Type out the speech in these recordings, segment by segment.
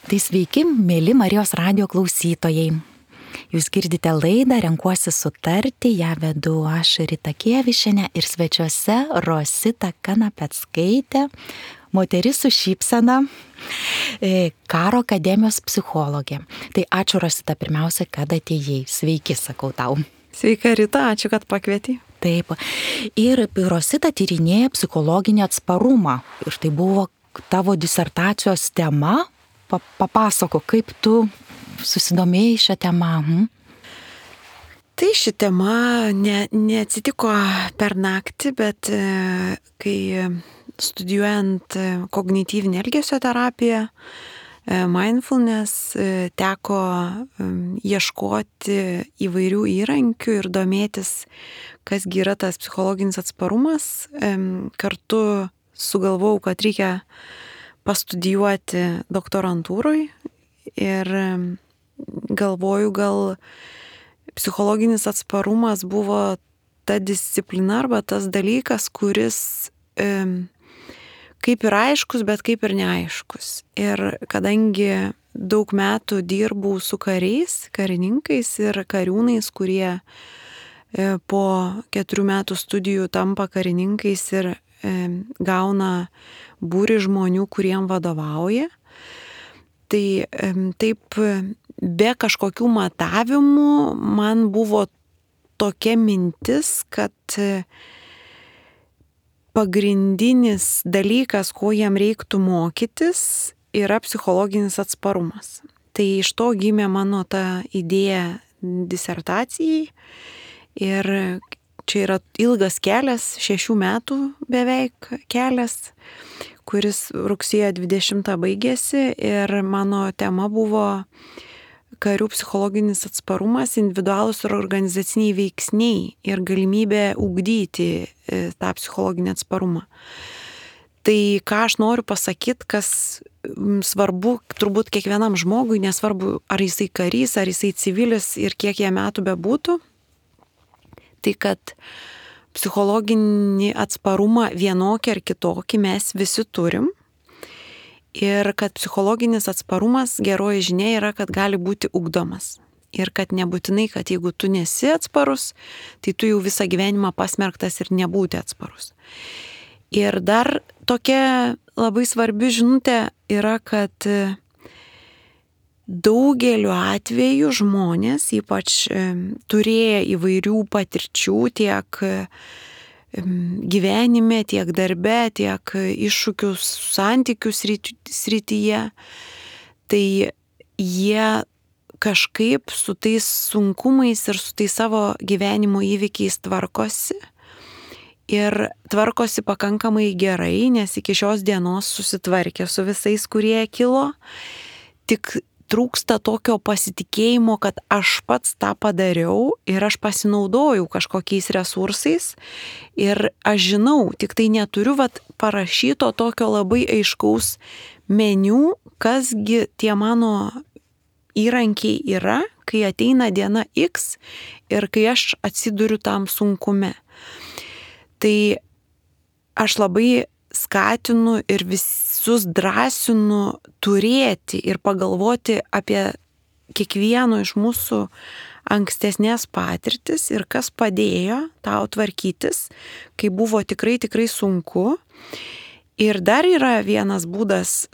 Tai sveiki, mėly Marijos radijo klausytojai. Jūs girdite laidą Renkuosi sutarti, ją vedu aš Rita Kievišienė ir svečiuose Rosita Kanapeckaitė, moteris su šypsena, Karo akademijos psichologė. Tai ačiū Rosita pirmiausia, kad atėjai. Sveiki, sakau tau. Sveika Rita, ačiū, kad pakvietei. Taip. Ir Rosita tyrinėja psichologinį atsparumą. Ir tai buvo tavo disertacijos tema. Papasako, kaip tu susidomėjai šią temą. Tai ši tema neatsitiko per naktį, bet kai studijuojant kognityvinę elgesio terapiją, mindfulness, teko ieškoti įvairių įrankių ir domėtis, kasgi yra tas psichologinis atsparumas. Kartu sugalvojau, kad reikia pastudijuoti doktorantūroj ir galvoju, gal psichologinis atsparumas buvo ta disciplina arba tas dalykas, kuris kaip ir aiškus, bet kaip ir neaiškus. Ir kadangi daug metų dirbau su kariais, karininkais ir kariūnais, kurie po 4 metų studijų tampa karininkais ir gauna būrį žmonių, kuriem vadovauja. Tai taip be kažkokių matavimų man buvo tokia mintis, kad pagrindinis dalykas, ko jam reiktų mokytis, yra psichologinis atsparumas. Tai iš to gimė mano ta idėja disertacijai ir čia yra ilgas kelias, 6 metų beveik kelias, kuris rugsėjo 20 baigėsi ir mano tema buvo karių psichologinis atsparumas, individualūs ir organizaciniai veiksniai ir galimybė ugdyti tą psichologinį atsparumą. Tai ką aš noriu pasakyti, kas svarbu turbūt kiekvienam žmogui, nesvarbu ar jisai karys, ar jisai civilis ir kiek jie metų bebūtų, tai kad psichologinį atsparumą vienokį ar kitokį mes visi turim ir kad psichologinis atsparumas, geroji žinia yra, kad gali būti ugdomas. Ir kad nebūtinai, kad jeigu tu nesi atsparus, tai tu jau visą gyvenimą pasmerktas ir nebūti atsparus. Ir dar tokia labai svarbi žinutė yra, kad daugeliu atveju žmonės, ypač turėję įvairių patirčių tiek gyvenime, tiek darbe, tiek iššūkių santykių srityje, tai jie kažkaip su tais sunkumais ir su tais savo gyvenimo įvykiais tvarkosi. Ir tvarkosi pakankamai gerai, nes iki šios dienos susitvarkė su visais, kurie kilo. Tik trūksta tokio pasitikėjimo, kad aš pats tą padariau ir aš pasinaudojau kažkokiais resursais ir aš žinau, tik tai neturiu parašyto tokio labai aiškaus meniu, kasgi tie mano įrankiai yra, kai ateina diena X ir kai aš atsiduriu tam sunkume. Tai aš labai skatinu ir visus drąsinu turėti ir pagalvoti apie kiekvieno iš mūsų ankstesnės patirtis ir kas padėjo tau tvarkytis, kai buvo tikrai sunku. Ir dar yra vienas būdas,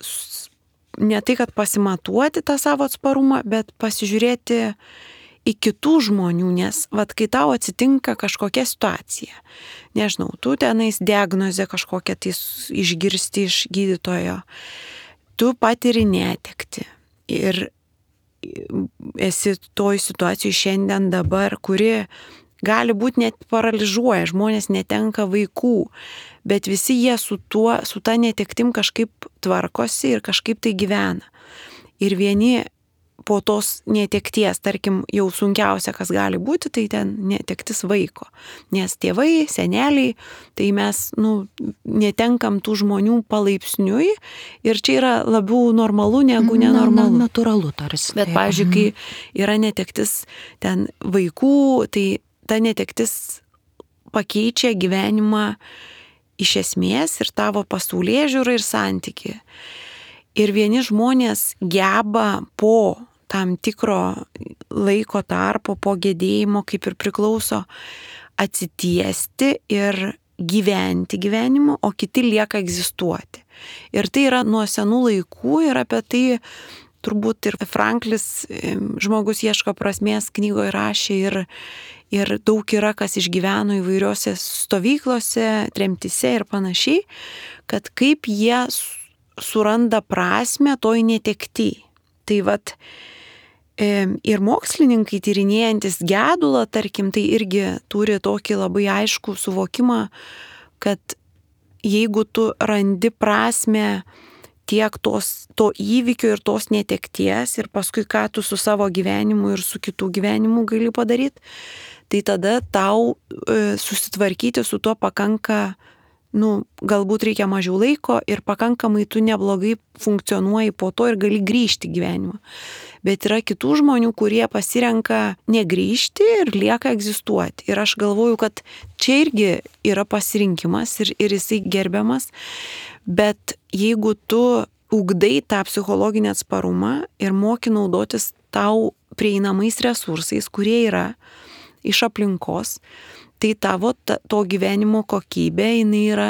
ne tai, kad pasimatuoti tą savo atsparumą, bet pasižiūrėti į kitų žmonių, nes kai tau atsitinka kažkokia situacija, nežinau, tu tenais diagnozę kažkokią tai išgirsti iš gydytojo, tu patiri netekti ir esi toj situacijai šiandien dabar, kuri gali būti net paralyžuoja, žmonės netenka vaikų, bet visi jie su ta netektim kažkaip tvarkosi ir kažkaip tai gyvena. Ir vieni po tos netekties, tarkim, jau sunkiausia, kas gali būti, tai ten netektis vaiko. Nes tėvai, seneliai, tai mes netenkam tų žmonių palaipsniui ir čia yra labiau normalu negu nenormalu. Natūralu tarsi. Bet, pavyzdžiui, kai yra netektis ten vaikų, tai ta netektis pakeičia gyvenimą iš esmės ir tavo pasaulėžiūrą ir santykį. Ir vieni žmonės geba po tam tikro laiko tarpo, po gedėjimo, kaip ir priklauso, atsitiesti ir gyventi gyvenimu, o kiti lieka egzistuoti. Ir tai yra nuo senų laikų ir apie tai turbūt ir Franklis, žmogus ieško prasmės, knygoje rašė ir daug yra, kas išgyveno įvairiose stovyklose, tremtise ir panašiai, kad kaip jie suranda prasmę toj netekty. Tai vat ir mokslininkai tyrinėjantis gedulą, tarkim, tai irgi turi tokį labai aiškų suvokimą, kad jeigu tu randi prasmę tiek to įvykio ir tos netekties ir paskui ką tu su savo gyvenimu ir su kitų gyvenimu gali padaryti, tai tada tau susitvarkyti su tuo pakanka, galbūt reikia mažiau laiko ir pakankamai tu neblogai funkcionuoji po to ir gali grįžti į gyvenimą. Bet yra kitų žmonių, kurie pasirenka negrįžti ir lieka egzistuoti. Ir aš galvoju, kad čia irgi yra pasirinkimas ir jisai gerbiamas. Bet jeigu tu ugdai tą psichologinį atsparumą ir moki naudotis tau prieinamais resursais, kurie yra iš aplinkos, tai tavo to gyvenimo kokybė jinai yra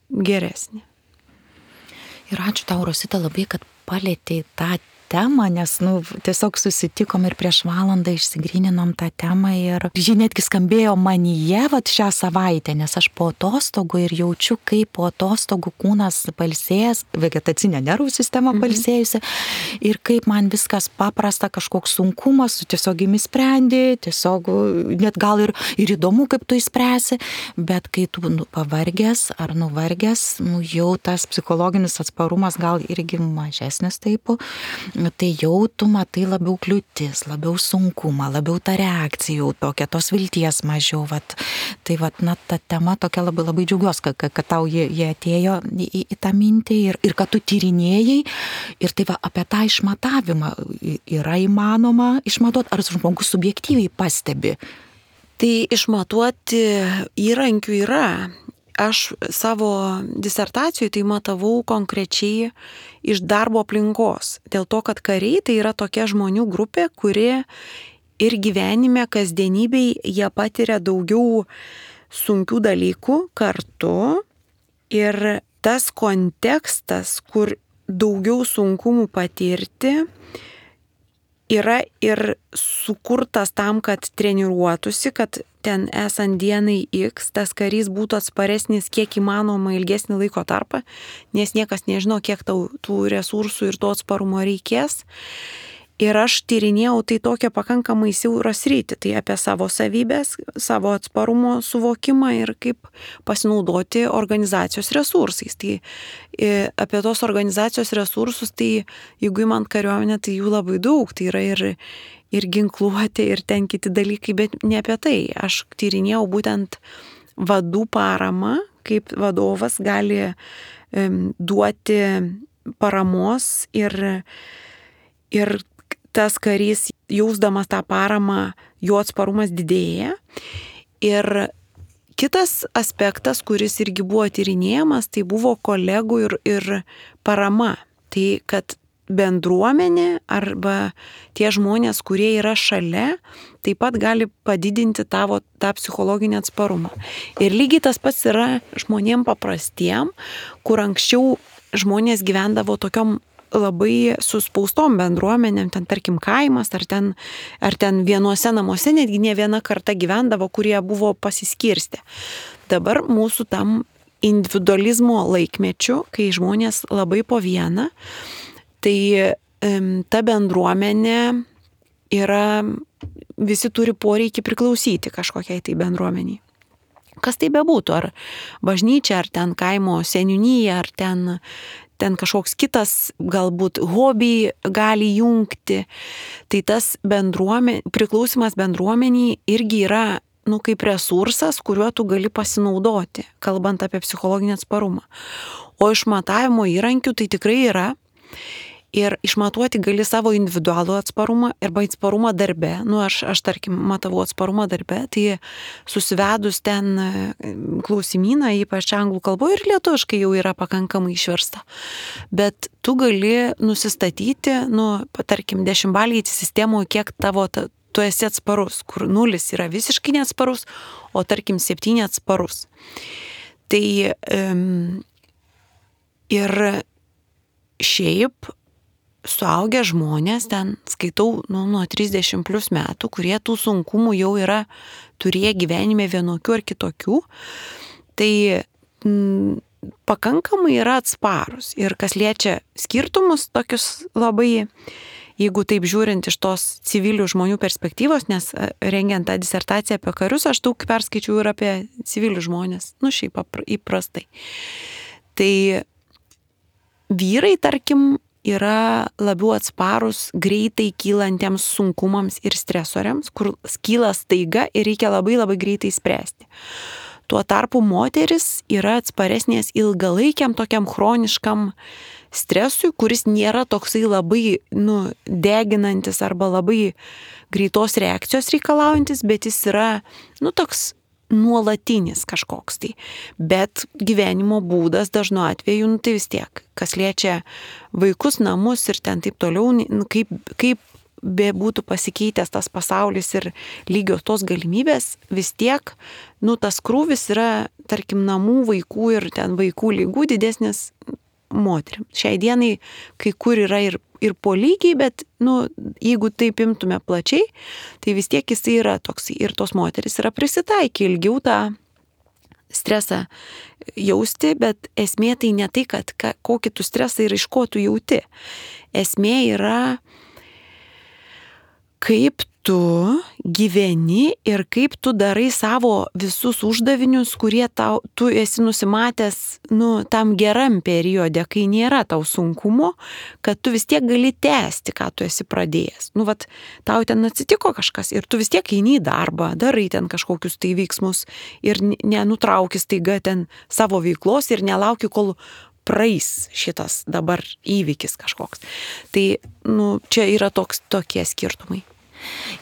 geresnė. Ir ačiū tau, Rosita, labai, kad palėtei tą temą, nes tiesiog susitikom ir prieš valandą išsigryninom tą temą ir ji netgi skambėjo manyje šią savaitę, nes aš po atostogų ir jaučiu, kaip po atostogų kūnas palsėjęs, vegetacinė nervų sistema palsėjusi ir kaip man viskas paprasta, kažkoks sunkumas, tu tiesiog imi sprendi, tiesiog net gal ir įdomu, kaip tu įspręsi, bet kai tu pavargęs ar nuvargęs, jau tas psichologinis atsparumas gal irgi mažesnis taip, tai jau tu matai labiau kliūtis, labiau sunkumą, labiau tą reakciją tokia, tos vilties mažiau. Tai ta tema tokia labai labai džiaugiuosi, kad tau jie atėjo į tą mintį ir kad tu tyrinėjai ir tai apie tą išmatavimą yra įmanoma išmatuoti, ar žmogus subjektyviai pastebi. Tai išmatuoti įrankių yra. Aš savo disertacijoje tai matavau konkrečiai iš darbo aplinkos. Dėl to, kad kariai tai yra tokia žmonių grupė, kuri ir gyvenime, kasdienybėj jie patiria daugiau sunkių dalykų kartu. Ir tas kontekstas, kur daugiau sunkumų patirti, yra ir sukurtas tam, kad treniruotųsi, kad ten esant dienai X, tas karys būtų atsparesnis kiek įmanoma ilgesnį laiko tarpą, nes niekas nežino, kiek tau tų resursų ir to atsparumo reikės. Ir aš tyrinėjau tai tokią pakankamai siaurą sritį, tai apie savo savybės, savo atsparumo suvokimą ir kaip pasinaudoti organizacijos resursais. Tai apie tos organizacijos resursus, tai jeigu įmant kariuomenę, tai jų labai daug, tai yra ir ginkluotė, ir ten kiti dalykai, bet ne apie tai. Aš tyrinėjau būtent vadų paramą, kaip vadovas gali duoti paramos ir tas karys, jausdamas tą paramą, jo atsparumas didėja. Ir kitas aspektas, kuris irgi buvo tyrinėjamas, tai buvo kolegų ir parama. Tai kad bendruomenė arba tie žmonės, kurie yra šalia, taip pat gali padidinti tavo tą psichologinį atsparumą. Ir lygiai tas pats yra žmonėm paprastiem, kur anksčiau žmonės gyvendavo tokiom labai suspaustom bendruomenėm, ten tarkim kaimas, ar ten vienuose namuose netgi ne viena karta gyvendavo, kurie buvo pasiskirstę. Dabar mūsų tam individualizmo laikmečiu, kai žmonės labai po vieną, tai ta bendruomenė yra, visi turi poreikį priklausyti kažkokiai tai bendruomeniai. Kas tai bebūtų, ar bažnyčia, ar ten kaimo seniūnija, ar ten kažkoks kitas galbūt hobį gali jungti, tai tas priklausimas bendruomeniai irgi yra kaip resursas, kuriuo tu gali pasinaudoti, kalbant apie psichologinį atsparumą. O išmatavimo įrankių tai tikrai yra. Ir išmatuoti gali savo individualų atsparumą arba atsparumą darbe. Aš tarkim, matavau atsparumą darbe, tai susivedus ten klausimyną, ypač anglų kalboje ir lietuviškai jau yra pakankamai išversta. Bet tu gali nusistatyti, tarkim, 10-balėje sistemoje, kiek tu esi atsparus, kur 0 yra visiškai neatsparus, o tarkim 7 atsparus. Tai ir šiaip suaugę žmonės, ten skaitau nuo 30 plus metų, kurie tų sunkumų jau yra turėję gyvenime vienokių ar kitokių, tai pakankamai yra atsparus. Ir kas liečia skirtumus tokius labai, jeigu taip žiūrint iš tos civilių žmonių perspektyvos, nes rengiant tą disertaciją apie karius, aš daug perskaičiau ir apie civilių žmonės, šiaip įprastai. Tai vyrai, tarkim, yra labiau atsparus greitai kylantiems sunkumams ir stresoriams, kur kyla staiga ir reikia labai labai greitai spręsti. Tuo tarpu moteris yra atsparesnės ilgalaikiam tokiam chroniškam stresui, kuris nėra toksai labai deginantis arba labai greitos reakcijos reikalaujantis, bet jis yra toks nuolatinis kažkoks tai. Bet gyvenimo būdas dažnu atveju, tai vis tiek, kas liečia vaikus, namus ir ten taip toliau, kaip be būtų pasikeitęs tas pasaulis ir lygios tos galimybės, vis tiek, tas krūvis yra, tarkim, namų vaikų ir ten vaikų lygų didesnis moteriam. Šiai dienai kai kur yra ir po lygiai, bet, jeigu taip imtume plačiai, tai vis tiek jis yra toks ir tos moteris yra prisitaikę ilgiau tą stresą jausti, bet esmė tai ne tai, kad kokį tu stresą ir iš ko tu jauti. Esmė yra, kaip tu gyveni ir kaip tu darai savo visus uždavinius, kurie tu esi nusimatęs tam geram periode, kai nėra tau sunkumo, kad tu vis tiek gali tęsti, ką tu esi pradėjęs. Tau ten atsitiko kažkas ir tu vis tiek eini į darbą, darai ten kažkokius tai veiksmus ir nenutrauki staiga ten savo veiklos ir nelauki, kol praeis šitas dabar įvykis kažkoks. Tai čia yra tokie skirtumai.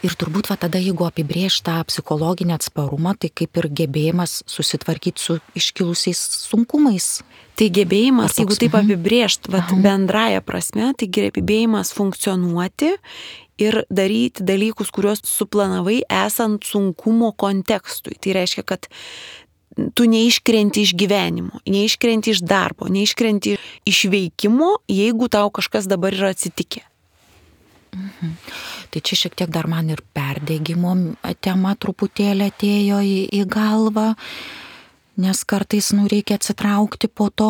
Ir turbūt tada, jeigu apibrėžta psichologinį atsparumą, tai kaip ir gebėjimas susitvarkyti su iškilusiais sunkumais. Tai gebėjimas, jeigu taip apibrėžt bendraja prasme, tai gebėjimas funkcionuoti ir daryti dalykus, kuriuos suplanavai esant sunkumo kontekstui. Tai reiškia, kad tu neiškrenti iš gyvenimo, neiškrenti iš darbo, neiškrenti iš veikimo, jeigu tau kažkas dabar yra atsitikę. Tai čia šiek tiek dar man ir perdegimo tema truputėlį atėjo į galvą, nes kartais reikia atsitraukti po to.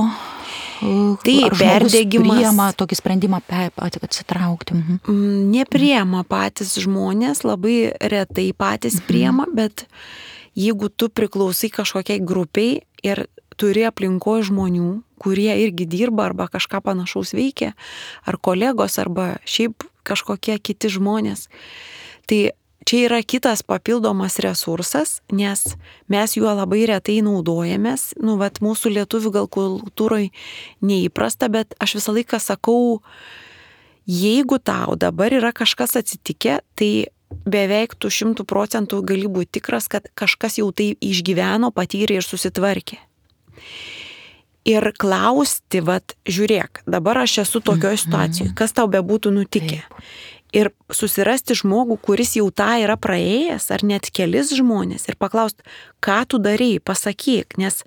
Tai perdegimas priema tokį sprendimą atsitraukti. Nepriema patys žmonės, labai retai patys priema, bet jeigu tu priklausai kažkokiai grupiai ir turi aplinkoje žmonių, kurie irgi dirba arba kažką panašaus veikia, ar kolegos, arba šiaip kažkokie kiti žmonės, tai čia yra kitas papildomas resursas, nes mes juo labai retai naudojamės. Mūsų lietuvių gal kultūroje neįprasta, bet aš visą laiką sakau, jeigu tau dabar yra kažkas atsitikę, tai beveik tu 100% gali būti tikras, kad kažkas jau tai išgyveno, patyrė ir susitvarkė. Ir klausti, žiūrėk, dabar aš esu tokioje situacijoje, kas tau bebūtų nutikę. Ir susirasti žmogų, kuris jau tą yra praėjęs, ar net kelis žmonės, ir paklausti, ką tu darei, pasakyk, nes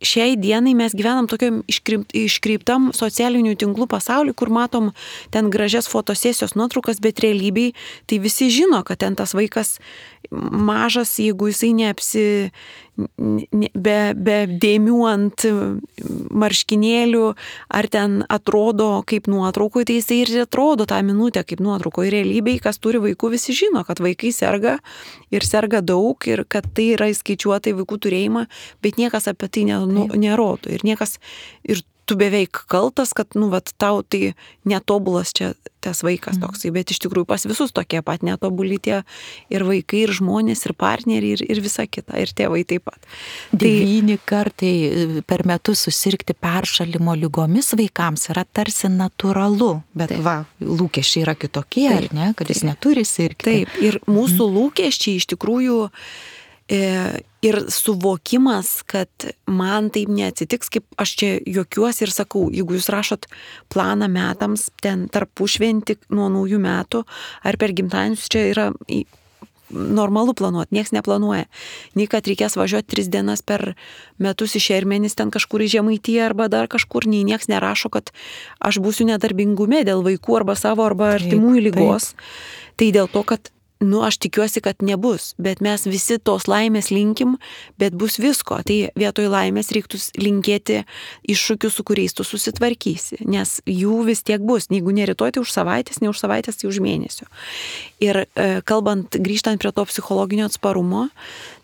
šiai dienai mes gyvenam tokiam iškreiptam socialinių tinklų pasauliu, kur matom ten gražias fotosesijos nuotraukas, bet realybėj tai visi žino, kad ten tas vaikas mažas, jeigu jisai be dėmių ant marškinėlių, ar ten atrodo kaip nuotraukoje, tai jisai ir atrodo tą minutę kaip nuotraukoje. Realybėj, kas turi vaikų, visi žino, kad vaikai serga ir serga daug ir kad tai yra įskaičiuota į vaikų turėjimą, bet niekas apie tai nerodo ir niekas, ir tu beveik kaltas, kad tau tai netobulas čia tas vaikas toksai, bet iš tikrųjų pas visus tokie pat netobuli tie ir vaikai, ir žmonės, ir partneriai, ir visa kita, ir tėvai taip pat. 9 kartai per metus susirgti peršalimo lygomis vaikams yra tarsi natūralu, bet lūkesčiai yra kitokie, ar ne, kad jis neturi sirgti. Taip, ir mūsų lūkesčiai iš tikrųjų Ir suvokimas, kad man taip neatsitiks, kaip aš čia juokiuosi ir sakau, jeigu jūs rašot planą metams, ten tarpušventį nuo naujų metų ar per gimtadienius, čia yra normalu planuoti, nieks neplanuoja. Nei kad reikės važiuoti 3 dienas per metus į Šermenis, ten kažkur į Žemaitiją arba dar kažkur, nei nieks nerašo, kad aš būsiu nedarbingume dėl vaikų arba savo arba artimųjų lygos. Tai dėl to, kad aš tikiuosi, kad nebus, bet mes visi tos laimės linkim, bet bus visko. Tai vietoj laimės reiktų linkėti iššūkių, su kuriais tu susitvarkysi, nes jų vis tiek bus. Jeigu ne rytoj, tai už savaitės, ne už savaitės, tai už mėnesio. Ir grįžtant prie to psichologinio atsparumo,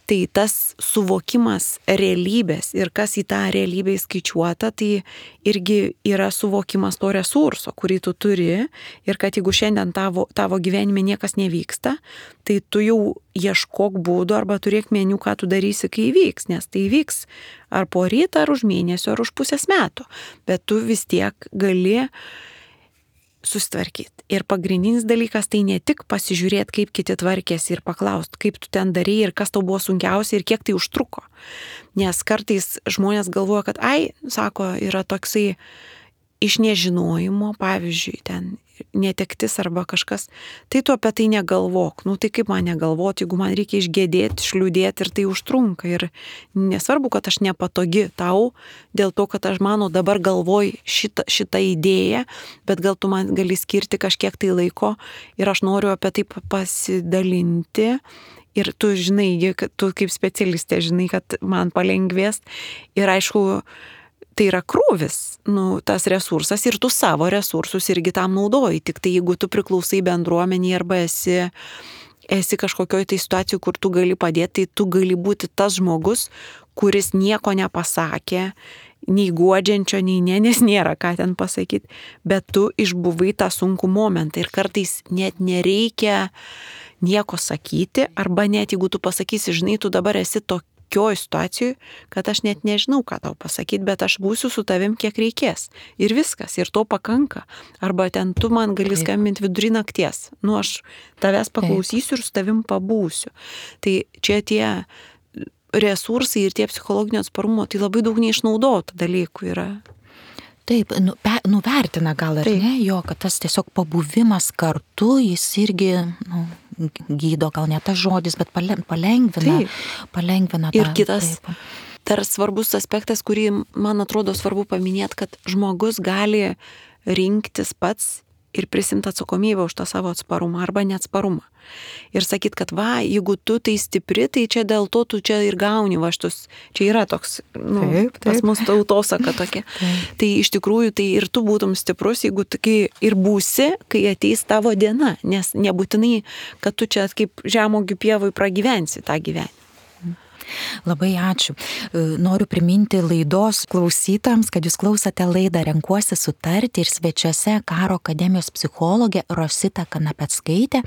tai tas suvokimas realybės ir kas į tą realybę įskaičiuota, tai irgi yra suvokimas to resurso, kurį tu turi ir kad jeigu šiandien tavo gyvenime niekas nevyksta, tai tu jau ieškok būdų arba turėk meniu, ką tu darysi, kai įvyks, nes tai įvyks ar po rytą, ar už mėnesio, ar už pusės metų, bet tu vis tiek gali susitvarkyti. Ir pagrindinis dalykas tai ne tik pasižiūrėti, kaip kiti tvarkėsi ir paklausti, kaip tu ten darėjai ir kas tau buvo sunkiausia ir kiek tai užtruko. Nes kartais žmonės galvoja, kad sako, yra toksai iš nežinojimo, pavyzdžiui, ten netektis arba kažkas, tai tu apie tai negalvok. Tai kaip man negalvoti, jeigu man reikia išgėdėti, išliūdėti ir tai užtrunka. Ir nesvarbu, kad aš nepatogi tau, dėl to, kad aš mano dabar galvoj šitą idėją, bet gal tu man gali skirti kažkiek tai laiko ir aš noriu apie tai pasidalinti. Ir tu žinai, tu kaip specialistė žinai, kad man palengvės. Ir aišku, tai yra krūvis, tas resursas ir tu savo resursus irgi tam naudoji. Tik tai jeigu tu priklausai bendruomenį arba esi kažkokioj tai situacijų, kur tu gali padėti, tai tu gali būti tas žmogus, kuris nieko nepasakė, nei guodžiančio, nei nes nėra ką ten pasakyti, bet tu išbuvai tą sunkų momentą ir kartais net nereikia nieko sakyti, arba net jeigu tu pasakysi, žinai, tu dabar esi tokioj situacijoj, kad aš net nežinau, ką tau pasakyti, bet aš būsiu su tavim kiek reikės. Ir viskas, ir to pakanka. Arba ten tu man gali skambinti vidury nakties. Aš tavęs paklausysiu ir su tavim pabūsiu. Tai čia tie resursai ir tie psichologinio atsparumo, tai labai daug neišnaudotų dalykų yra. Taip, nuvertina gal ar ne, jo, kad tas tiesiog pabuvimas kartu, jis irgi gydo, gal ne tas žodis, bet palengvina. Palengvina tą. Ir kitas dar svarbus aspektas, kurį man atrodo svarbu paminėti, kad žmogus gali rinktis pats ir prisimti atsakomybę už tą savo atsparumą arba neatsparumą. Ir sakyt, kad jeigu tu tai stipri, tai čia dėl to tu čia ir gauni vaštus. Čia yra toks, taip. Pas mus tautosaka tokia. Tai iš tikrųjų, tai ir tu būtum stiprus, jeigu tu ir būsi, kai ateis tavo diena. Nes nebūtinai, kad tu čia kaip žemuogių pievoj pragyvensi tą gyvenimą. Labai ačiū. Noriu priminti laidos klausytams, kad jūs klausote laidą Renkuosi sutarti ir svečiuose Karo akademijos psichologė Rosita Kanapeckaitė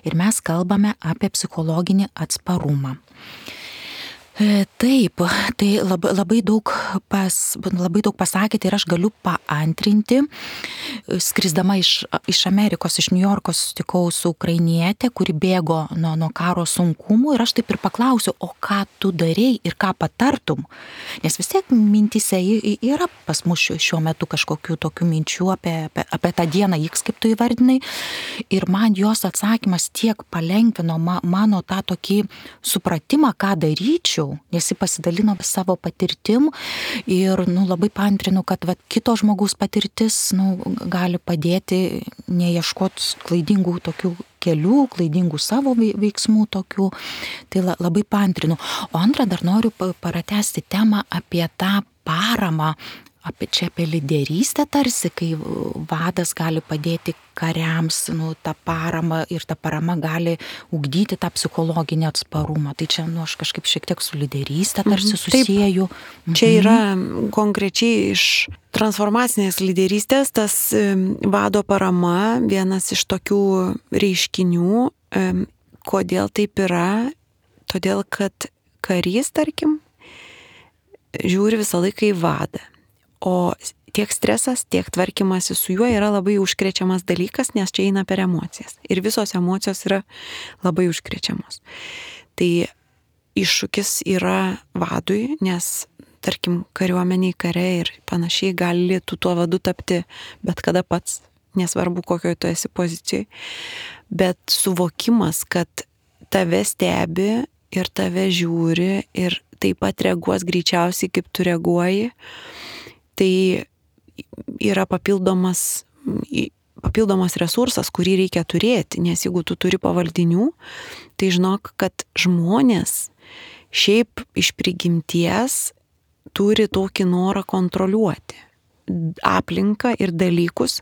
ir mes kalbame apie psichologinį atsparumą. Taip, tai labai daug pasakėte ir aš galiu paantrinti. Skrisdama iš Amerikos, iš New Yorko susitikau su ukrainietė, kuri bėgo nuo karo sunkumų ir aš taip ir paklausiu, o ką tu darei ir ką patartum? Nes vis tiek mintise yra pas mus šiuo metu kažkokių tokių minčių apie tą dieną X, kaip tu įvardinai. Ir man jos atsakymas tiek palengvino mano tą tokį supratimą, ką daryčiau. Nes jis pasidalino savo patirtim ir labai paantrinu, kad kito žmogaus patirtis gali padėti neieškoti klaidingų tokių kelių, klaidingų savo veiksmų tokių. Tai labai paantrinu. O antrą dar noriu pratęsti temą apie tą paramą, apie lyderystę tarsi, kai vadas gali padėti kariams, tą paramą ir ta parama gali ugdyti tą psichologinį atsparumą. Tai čia, aš kažkaip šiek tiek su lyderystė tarsi susieju. Čia yra konkrečiai iš transformacinės lyderystės tas vado parama, vienas iš tokių reiškinių. Kodėl taip yra? Todėl, kad karys, tarkim, žiūri visą laiką į vadą. O tiek stresas, tiek tvarkymasi su juo yra labai užkrečiamas dalykas, nes čia eina per emocijas. Ir visos emocijos yra labai užkrečiamos. Tai iššūkis yra vadui, nes, tarkim, kariuomeniai, kare ir panašiai gali tu tuo vadu tapti bet kada pats, nesvarbu kokioje tu esi pozicijai. Bet suvokimas, kad tave stebi ir tave žiūri ir taip pat reaguos greičiausiai, kaip tu reaguoji, tai yra papildomas resursas, kurį reikia turėti, nes jeigu tu turi pavaldinių, tai žinok, kad žmonės šiaip iš prigimties turi tokį norą kontroliuoti aplinką ir dalykus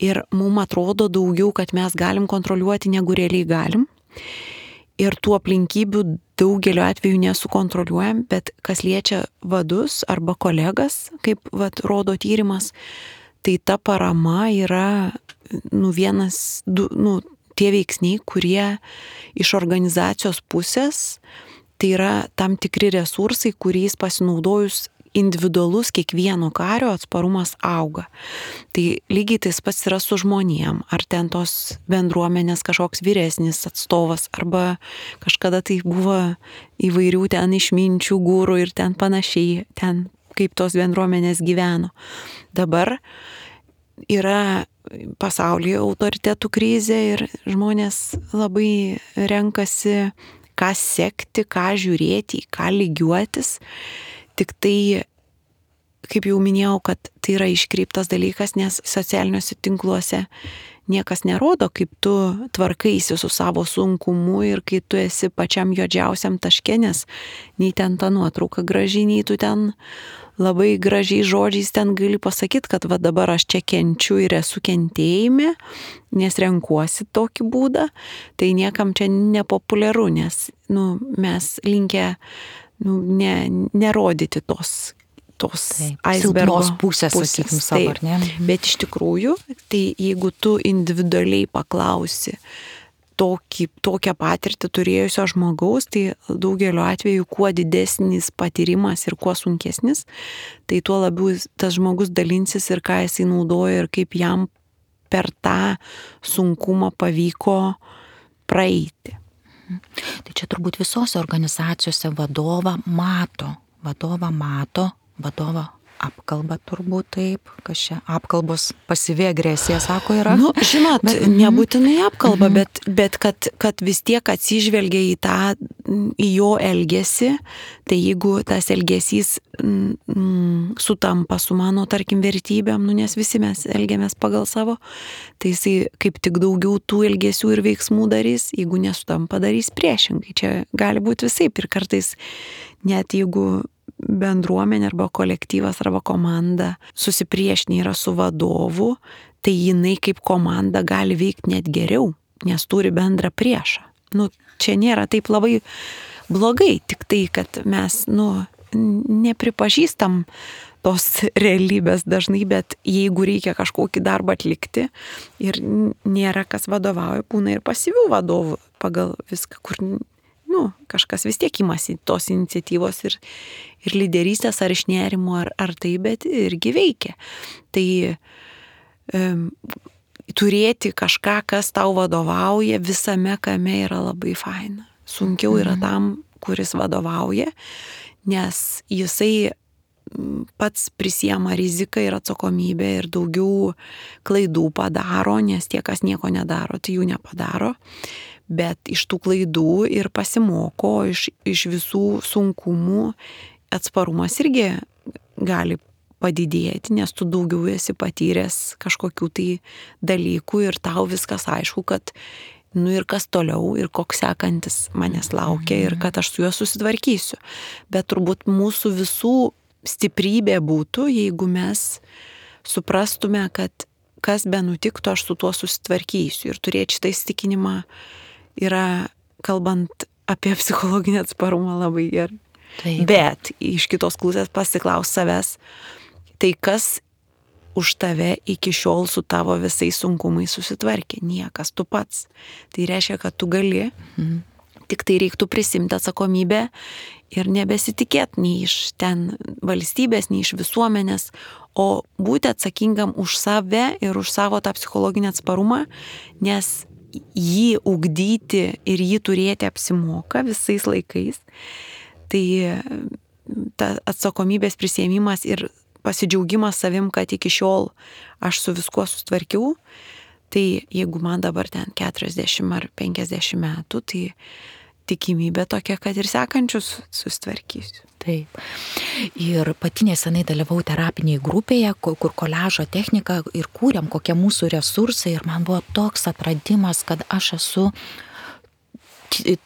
ir mums atrodo daugiau, kad mes galim kontroliuoti, negu realiai galim. Ir tų aplinkybių daugeliu atveju nesukontroliuojam, bet kas liečia vadus arba kolegas, kaip rodo tyrimas, tai ta parama yra tie veiksniai, kurie iš organizacijos pusės, tai yra tam tikri resursai, kuriais pasinaudojus individualus kiekvieno kario atsparumas auga. Tai lygiai tas pats yra su žmonėm, ar ten tos bendruomenės kažkoks vyresnis atstovas, arba kažkada tai buvo įvairių ten išminčių gūrų ir ten panašiai, ten kaip tos bendruomenės gyveno. Dabar yra pasaulyje autoritetų krizė ir žmonės labai renkasi, ką sekti, ką žiūrėti, ką lygiuotis. Tik tai, kaip jau minėjau, kad tai yra iškreiptas dalykas, nes socialiniuose tinkluose niekas nerodo, kaip tu tvarkaisi su savo sunkumu ir kai tu esi pačiam juodžiausiam taške, nes nei ten ta nuotrauka graži, nei tu ten labai gražiai žodžiais ten gali pasakyti, kad va dabar aš čia kenčiu ir esu kentėjime, nes renkuosi tokį būdą, tai niekam čia nepopuliaru, nes mes linkę nerodyti tos silpnos pusės, sakykim, savo, ar ne? Bet iš tikrųjų, tai jeigu tu individualiai paklausi tokią patirtį turėjusio žmogaus, tai daugeliu atveju kuo didesnis patyrimas ir kuo sunkesnis, tai tuo labiau tas žmogus dalinsis ir ką jisai naudoja ir kaip jam per tą sunkumą pavyko praeiti. Tai čia turbūt visose organizacijose vadovą apkalba turbūt taip, kas čia apkalbos pasyvi agresija, sako, yra. Žinot, nebūtinai apkalba, bet kad vis tiek atsižvelgia į jo elgesį, tai jeigu tas elgesys sutampa su mano, tarkim, vertybėm, nes visi mes elgiamės pagal savo, tai jisai kaip tik daugiau tų elgesių ir veiksmų darys, jeigu nesutampa, darys priešingai. Čia gali būti visaip ir kartais net jeigu bendruomenė arba kolektyvas arba komanda susipriešinė yra su vadovu, tai jinai kaip komanda gali veikti net geriau, nes turi bendrą priešą. Čia nėra taip labai blogai, tik tai, kad mes, nepripažįstam tos realybės dažnai, bet jeigu reikia kažkokį darbą atlikti ir nėra kas vadovauja, būna ir pasyvių vadovų pagal viską, kur kažkas vis tiek imasi tos iniciatyvos ir lyderystės ar iš nerimo ar tai, bet irgi veikia. Tai turėti kažką, kas tau vadovauja visame kame yra labai faina. Sunkiau yra tam, kuris vadovauja, nes jisai pats prisiema riziką ir atsakomybę ir daugiau klaidų padaro, nes tie, kas nieko nedaro, tai jų nepadaro. Bet iš tų klaidų ir pasimoko, iš visų sunkumų atsparumas irgi gali padidėti, nes tu daugiau esi patyręs kažkokių tai dalykų ir tau viskas aišku, kad ir kas toliau ir koks sekantis manęs laukia ir kad aš su juo susitvarkysiu. Bet turbūt mūsų visų stiprybė būtų, jeigu mes suprastume, kad kas be nutiktų, aš su tuo susitvarkysiu ir turėti šitą įsitikinimą yra, kalbant apie psichologinį atsparumą, labai gerai. Taip. Bet iš kitos pusės pasiklaus savęs, tai kas už tave iki šiol su tavo visais sunkumais susitvarkė? Niekas, tu pats. Tai reiškia, kad tu gali, tik tai reiktų prisimti atsakomybę ir nebesitikėti nei iš ten valstybės, nei iš visuomenės, o būti atsakingam už save ir už savo tą psichologinį atsparumą, nes jį ugdyti ir jį turėti apsimoka visais laikais, tai ta atsakomybės prisiėmimas ir pasidžiaugimas savim, kad iki šiol aš su viskuo sustvarkiau, tai jeigu man dabar ten 40 ar 50 metų, tai tikimybė tokia, kad ir sekančius sustvarkysiu. Taip. Ir pati nesenai dalyvau terapinėje grupėje, kur koliažo technika ir kūrėm, kokie mūsų resursai, ir man buvo toks atradimas, kad aš esu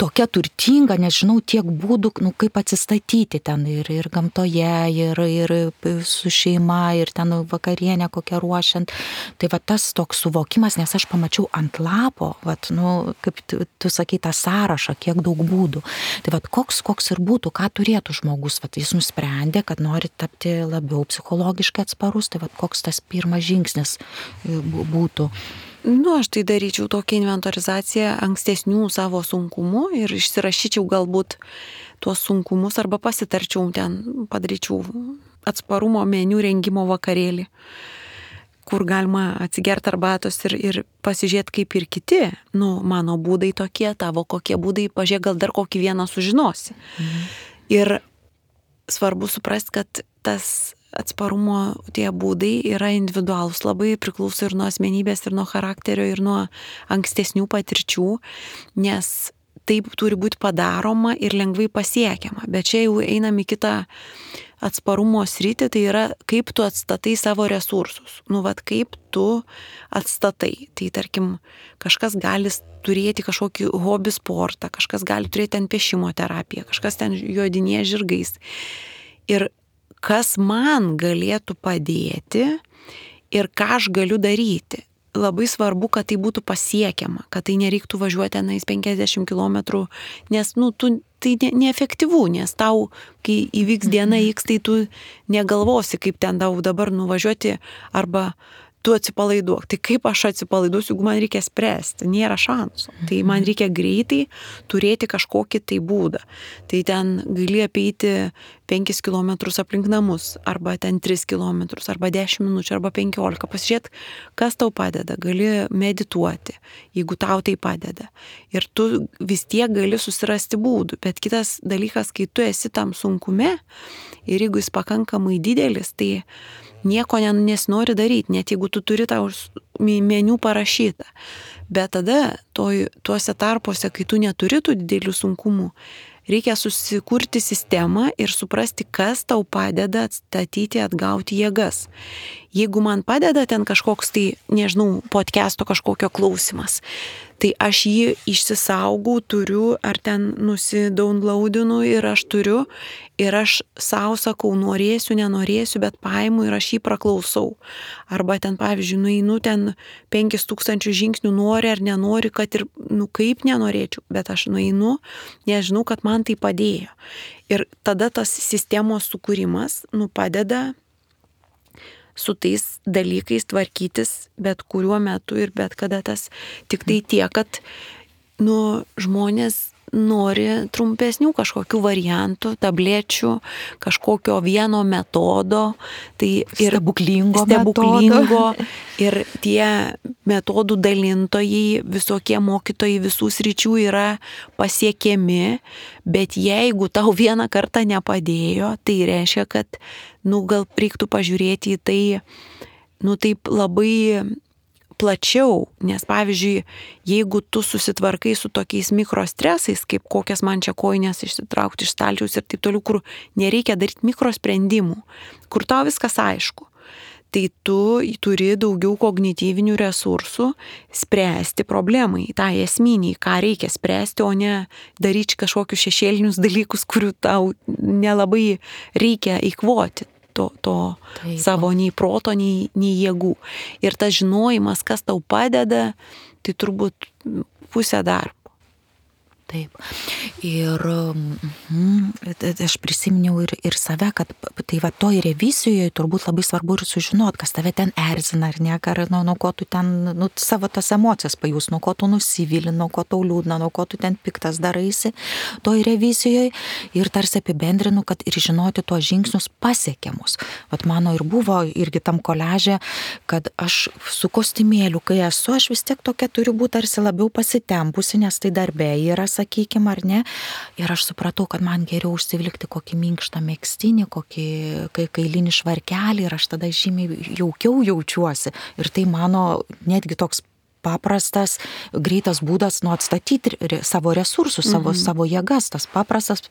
tokia turtinga, nežinau, tiek būdų, kaip atsistatyti ten ir gamtoje, ir su šeima, ir ten vakarienę kokią ruošiant. Tai va tas toks suvokimas, nes aš pamačiau ant lapo, kaip tu sakai, tą sąrašą, kiek daug būdų. Tai va koks ir būtų, ką turėtų žmogus, jis nusprendė, kad nori tapti labiau psichologiškai atsparus, tai va koks tas pirmas žingsnis būtų. Aš tai daryčiau tokią inventorizaciją ankstesnių savo sunkumų ir išsirašyčiau galbūt tuos sunkumus arba pasitarčiau ten, padaryčiau atsparumo meniu rengimo vakarėlį, kur galima atsigerti arbatos ir pasižiūrėti kaip ir kiti. Mano būdai tokie, tavo kokie būdai, pažiūrėk, gal dar kokį vieną sužinosi. Ir svarbu suprasti, kad tas atsparumo tie būdai yra individualūs, labai priklauso ir nuo asmenybės, ir nuo charakterio, ir nuo ankstesnių patirčių, nes taip turi būti padaroma ir lengvai pasiekiama. Bet čia jau einam į kitą atsparumo sritį, tai yra kaip tu atstatai savo resursus. Kaip tu atstatai. Tai tarkim, kažkas gali turėti kažkokį hobį sportą, kažkas gali turėti ten piešimo terapiją, kažkas ten jodinėja žirgais. Ir kas man galėtų padėti ir ką aš galiu daryti. Labai svarbu, kad tai būtų pasiekiama, kad tai nereiktų važiuoti tenais 50 km, nes tai neefektyvu, nes tau, kai įvyks diena X, tai tu negalvosi, kaip ten tau dabar nuvažiuoti arba tu atsipalaiduok. Tai kaip aš atsipalaiduosiu, jeigu man reikia spręsti? Nėra šansų. Tai man reikia greitai turėti kažkokį tai būdą. Tai ten gali apeiti 5 km aplink namus, arba ten 3 km, arba 10 minučių, arba 15. Pasižiūrėt, kas tau padeda. Gali medituoti, jeigu tau tai padeda. Ir tu vis tiek gali susirasti būdų. Bet kitas dalykas, kai tu esi tam sunkume ir jeigu jis pakankamai didelis, tai nieko nesinori daryti, net jeigu tu turi tau meniu parašytą. Bet tada tuose tarpuose, kai tu neturi tų didelių sunkumų, reikia susikurti sistemą ir suprasti, kas tau padeda atstatyti, atgauti jėgas. Jeigu man padeda ten kažkoks tai, nežinau, podcast'o kažkokio klausimas, tai aš jį išsisaugau, turiu, ar ten nusidownloadinu ir aš turiu, ir aš savo sakau, norėsiu, nenorėsiu, bet paimu ir aš jį praklausau. Arba ten, pavyzdžiui, nueinu ten 5000 žingsnių, nori ar nenori, kad ir, kaip nenorėčiau, bet aš nueinu, nežinau, kad man tai padėjo. Ir tada tas sistemos sukūrimas, padeda su tais dalykais tvarkytis bet kuriuo metu ir bet kada tas. Tik tai tiek, kad žmonės nori trumpesnių kažkokių variantų, tablečių, kažkokio vieno metodo, tai ir stebuklingo. Ir tie metodų dalintojai, visokie mokytojai visų sričių yra pasiekiami, bet jeigu tau vieną kartą nepadėjo, tai reiškia, kad gal reiktų pažiūrėti į tai, taip labai plačiau, nes pavyzdžiui, jeigu tu susitvarkai su tokiais mikrostresais, kaip kokias man čia kojines išsitraukti iš stalčiaus ir taip toliau, kur nereikia daryti mikrosprendimų, kur tau viskas aišku, tai tu turi daugiau kognityvinių resursų spręsti problemai, tą esminį, ką reikia spręsti, o ne daryti kažkokius šešėlinius dalykus, kurių tau nelabai reikia eikvoti. To savo nei proto, nei jėgų. Ir tas žinojimas, kas tau padeda, tai turbūt pusė darbo. Taip. Ir aš prisiminiau ir save, kad tai va toj revizijoje turbūt labai svarbu ir sužinot, kas tave ten erzina ar ne, ar nuo ko tu ten, savo tas emocijas pajus, nuo ko tu nusivili, nuo ko tau liūdna, nuo ko tu ten piktas daraisi toj revizijoje ir tarsi apibendrinu, kad ir žinoti tuos žingsnius pasiekiamus. Vat mano ir buvo irgi tam koliaže, kad aš su kostiumėliu, kai esu, aš vis tiek tokia turiu būti tarsi labiau pasitempusi, nes tai darbė yra, sakykim, ar ne. Ir aš supratau, kad man geriau užsivilkti kokį minkštą megztinį, kokį kailinį švarkelį ir aš tada žymiai jaukiau jaučiuosi. Ir tai mano netgi toks paprastas, greitas būdas atstatyti savo resursus, savo jėgas. Tas paprastas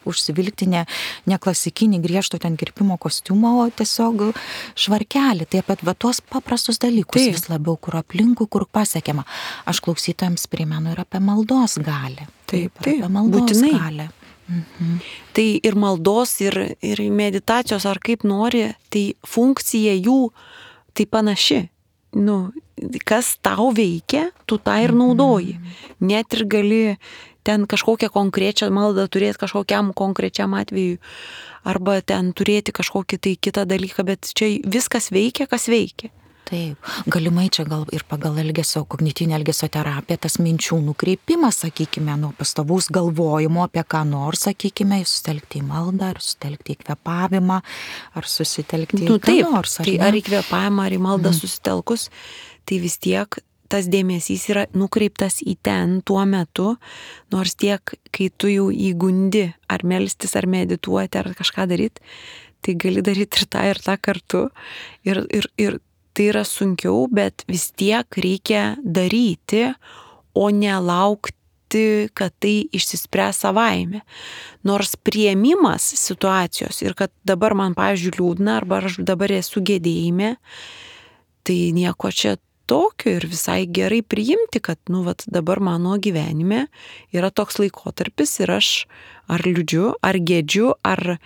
užsivilkti ne klasikinį griežto ten kirpimo kostiumą, o tiesiog švarkelį. Tai apie tuos paprastus dalykus vis labiau, kur aplinkui, kur pasiekiama. Aš klausytojams primenu ir apie maldos galią. Taip, apie maldos būtinai. Galią. Tai ir maldos, ir meditacijos, ar kaip nori, tai funkcija jų tai panaši. Kas tau veikia, tu tą ir naudoji. Net ir gali ten kažkokią konkrečią maldą turėti kažkokiam konkrečiam atveju, arba ten turėti kažkokį tai kitą dalyką, bet čia viskas veikia, kas veikia. Taip, galimai čia gal ir pagal kognityvinę elgesio terapiją, tas minčių nukreipimas, sakykime, nuo pastovaus galvojimo apie ką nors, sakykime, susitelkti į maldą, ar susitelkti į kvėpavimą, ar susitelkti į ką nors. Tai ar į kvėpavimą, ar į maldą susitelkus, tai vis tiek tas dėmesys yra nukreiptas į ten tuo metu, nors tiek, kai tu jau įgundi, ar melstis, ar medituoti, ar kažką daryti, tai gali daryti ir tą kartu. Ir tai yra sunkiau, bet vis tiek reikia daryti, o nelaukti, kad tai išsispręs savaime. Nors priėmimas situacijos ir kad dabar man, pavyzdžiui, liūdna, arba aš dabar esu gedėjime, tai nieko čia tokio ir visai gerai priimti, kad, dabar mano gyvenime yra toks laikotarpis ir aš ar liūdžiu, ar gedžiu, ar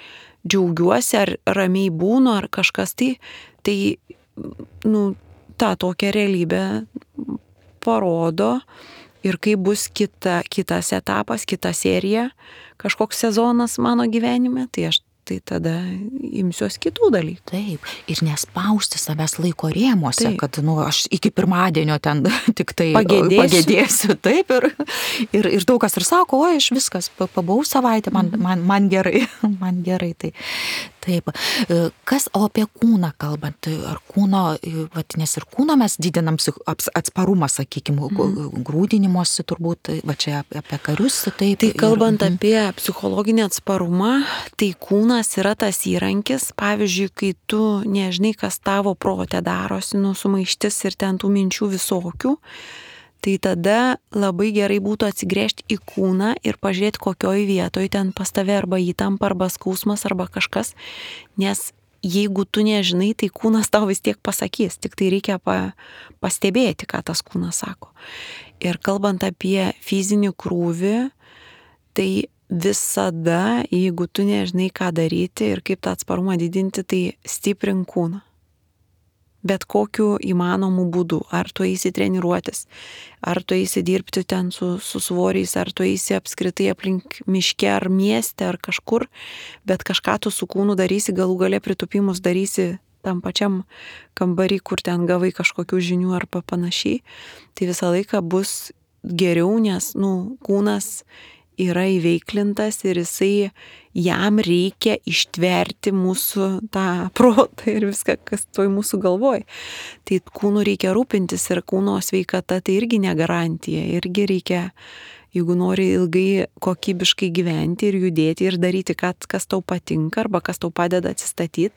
džiaugiuosi, ar ramiai būnu, ar kažkas tai tą tokią realybę parodo ir kai bus kitas etapas, kita serija, kažkoks sezonas mano gyvenime, tai aš tada imsiuos kitų dalykų. Taip, ir nespausti savęs laiko rėmuose, kad aš iki pirmadienio ten tik tai pagėdėsiu. Taip, ir daug kas ir sako, aš viskas, pabuvau savaitę, man gerai, tai. Taip. O apie kūną kalbant, ar kūno, nes ir kūno mes didinam atsparumą, sakykime, grūdinimosi turbūt, čia apie karius. Taip, tai kalbant apie psichologinį atsparumą, tai kūnas yra tas įrankis, pavyzdžiui, kai tu nežinai, kas tavo prote darosi, sumaištis ir ten tų minčių visokių, tai tada labai gerai būtų atsigręžti į kūną ir pažiūrėti, kokioj vietoj ten pas tave arba įtampa, arba skausmas, arba kažkas, nes jeigu tu nežinai, tai kūnas tau vis tiek pasakys, tik tai reikia pastebėti, ką tas kūnas sako. Ir kalbant apie fizinį krūvį, tai visada, jeigu tu nežinai, ką daryti ir kaip tą atsparumą didinti, tai stiprink kūną. Bet kokiu įmanomu būdu. Ar tu eisi treniruotis, ar tu eisi dirbti ten su svoriais, ar tu eisi apskritai aplink miške, ar mieste, ar kažkur, bet kažką tu su kūnu darysi, galų gale pritupimus darysi tam pačiam kambarį, kur ten gavai kažkokių žinių ar panašiai, tai visą laiką bus geriau, nes kūnas yra įveiklintas ir jam reikia ištverti mūsų tą protą ir viską, kas toj mūsų galvoj. Tai kūnu reikia rūpintis ir kūno sveikata tai irgi ne garantija. Irgi reikia, jeigu nori ilgai kokybiškai gyventi ir judėti ir daryti, kas tau patinka arba kas tau padeda atsistatyti,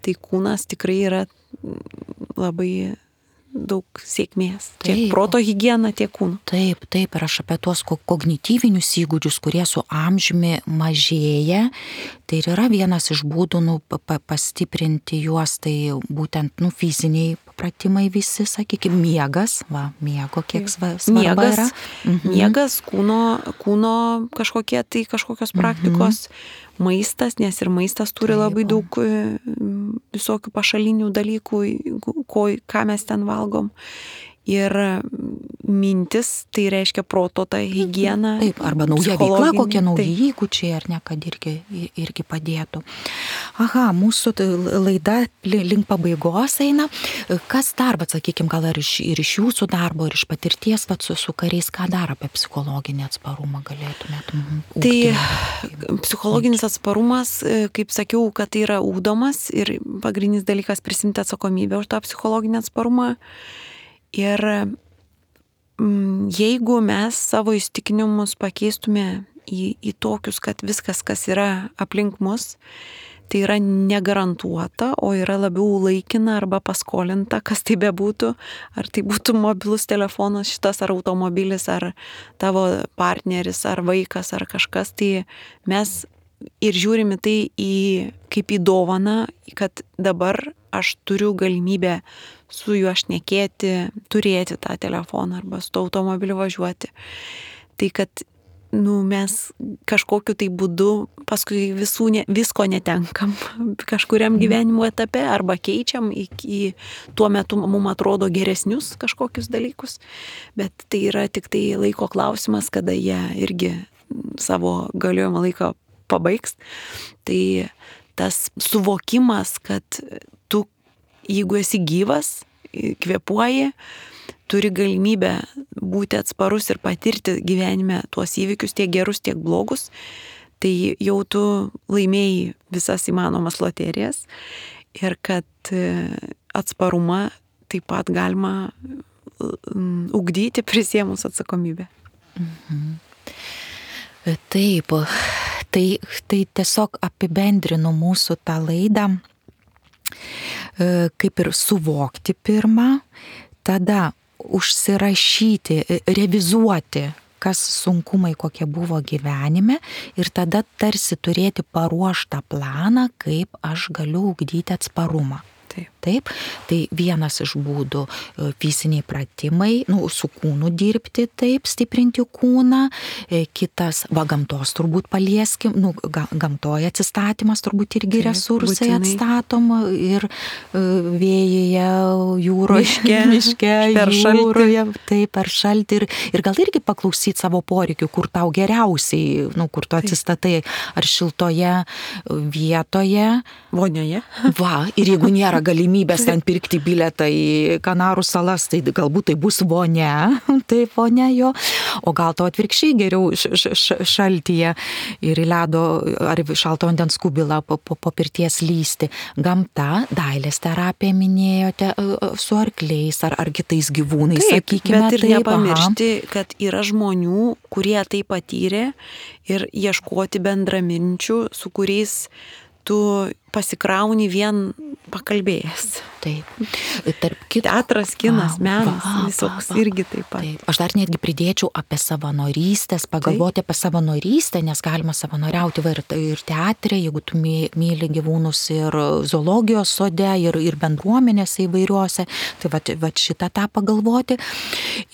tai kūnas tikrai yra labai daug sėkmės. Tiek proto higiena, tiek kūno. Taip, ir aš apie tuos kognityvinius įgūdžius, kurie su amžiumi mažėja, tai ir yra vienas iš būdų pastiprinti juos, tai būtent fiziniai pratimai visi, sakykime, miegas, miego kiek svarba yra. Miegas, kūno kažkokios praktikos, maistas, nes ir maistas turi labai daug visokių pašalinių dalykų, ką mes ten valgom. Ir mintis, tai reiškia proto ta higiena. Taip, arba nauja veikla, kokie nauji įgūdžiai, ar ne, kad irgi padėtų. Aha, mūsų laida link pabaigos eina. Kas dar, bet sakykime, gal ir iš jūsų darbo, ir iš patirties su kariais, ką dar apie psichologinį atsparumą galėtumėt? Tai psichologinis atsparumas, kaip sakiau, kad tai yra ugdomas ir pagrindinis dalykas prisimti atsakomybę už tą psichologinį atsparumą. Ir jeigu mes savo įsitikinimus pakeistume į tokius, kad viskas, kas yra aplink mus, tai yra negarantuota, o yra labiau laikina arba paskolinta, kas tai bebūtų, ar tai būtų mobilus telefonas šitas, ar automobilis, ar tavo partneris, ar vaikas, ar kažkas, tai mes ir žiūrime tai kaip į dovaną, kad dabar aš turiu galimybę su juo šnekėti, turėti tą telefoną arba su to automobiliu važiuoti. Tai kad mes kažkokiu tai būdu paskui visko netenkam kažkuriam gyvenimo etape arba keičiam į tuo metu mums atrodo geresnius kažkokius dalykus, bet tai yra tik tai laiko klausimas, kada jie irgi savo galiojimo laiką pabaigs. Tai tas suvokimas, kad tu, jeigu esi gyvas, kvėpuoji, turi galimybę būti atsparus ir patirti gyvenime tuos įvykius, tiek gerus, tiek blogus, tai jau tu laimėjai visas įmanomas loterijas ir kad atsparumą taip pat galima ugdyti prisėmus atsakomybę. Taip, tai tiesiog apibendrinu mūsų tą laidą, kaip ir suvokti pirmą, tada užsirašyti, revizuoti, kas sunkumai kokie buvo gyvenime ir tada tarsi turėti paruoštą planą, kaip aš galiu ugdyti atsparumą. Taip, tai vienas iš būdų fiziniai pratimai, su kūnu dirbti, taip, stiprinti kūną, kitas, gamtos turbūt palieskim, gamtoje atsistatymas turbūt irgi taip, resursai būtinai atstatom ir vėjyje, jūroje, miške, jūroje, taip, per šaltį ir gal irgi paklausyti savo poreikių, kur tau geriausiai, kur tu atsistatai, ar šiltoje vietoje, vonioje. Va, ir jeigu nėra galimybės ten pirkti bilietą į Kanarų salas, tai galbūt tai bus vonia, taip vonia jo, o gal to atvirkščiai geriau šaltyje ir į ledo ar šalto vandens kubilą po pirties lysti. Gamta, dailės terapija minėjote su arkliais ar kitais gyvūnais, taip, sakykime. Bet ir nepamiršti, kad yra žmonių, kurie tai patyrė ir ieškoti bendraminčių, su kuriais tu pasikrauni vien pakalbėjęs. Taip. Tarp kitko, teatras, kinas, menas, visoks irgi taip pat. Taip. Aš dar netgi pridėčiau apie savanorystės, pagalvoti apie savanorystę, nes galima savanoriauti ir teatre, jeigu tu myli gyvūnus ir zoologijos sode, ir bendruomenėse įvairiuose. Tai vat šitą tą pagalvoti.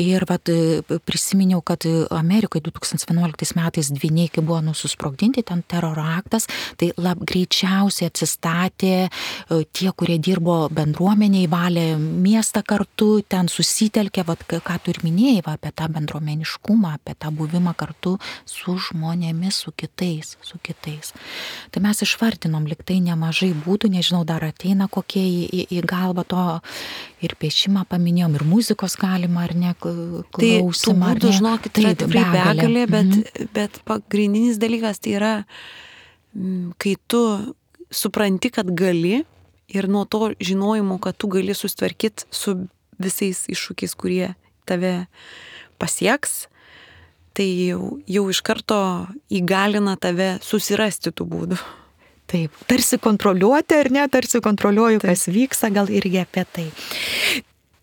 Ir prisiminiau, kad Amerikoje 2011 metais dvyniai, kai buvo susprogdinti, ten teroro aktas, tai greičiausiai atsistatė tie, kurie dirbo bendruomeniai, valė miestą kartu, ten susitelkė, ką tu ir minėjai, apie tą bendruomeniškumą, apie tą buvimą kartu su žmonėmis, su kitais. Tai mes išvardinom liktai nemažai būdų, nežinau, dar ateina kokie į galvą to ir piešimą paminėjom, ir muzikos galima, ar ne, klausimą. Tai tų būdų, žinokit, yra tikrai begalė, bet pagrindinis dalykas tai yra, kai tu supranti, kad gali ir nuo to žinojimo, kad tu gali susitvarkyti su visais iššūkiais, kurie tave pasieks, tai jau iš karto įgalina tave susirasti tų būdų. Taip, tarsi kontroliuoti ar ne, tarsi kontroliuoju, kas vyksta, gal irgi apie tai.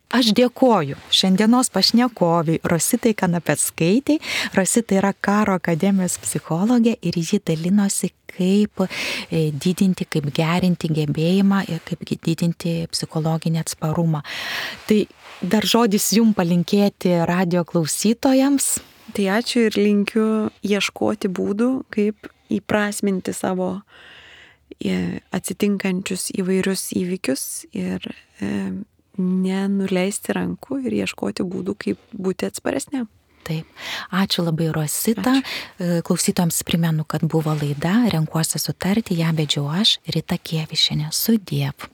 Aš dėkoju šiandienos pašnekoviai Rositai Kanapeckaitei. Rosita yra Karo akademijos psichologė ir ji dalinosi, kaip didinti, kaip gerinti gebėjimą ir kaip didinti psichologinį atsparumą. Tai dar žodis jums palinkėti radio klausytojams. Tai ačiū ir linkiu ieškoti būdų, kaip įprasminti savo atsitinkančius įvairius įvykius ir nenuleisti rankų ir ieškoti būdų, kaip būti atsparesniam. Taip. Ačiū labai, Rosita. Ačiū. Klausytojams primenu, kad buvo laida Renkuosi sutarti, ją vedžiau aš, Rita Kievišienė. Sudiev.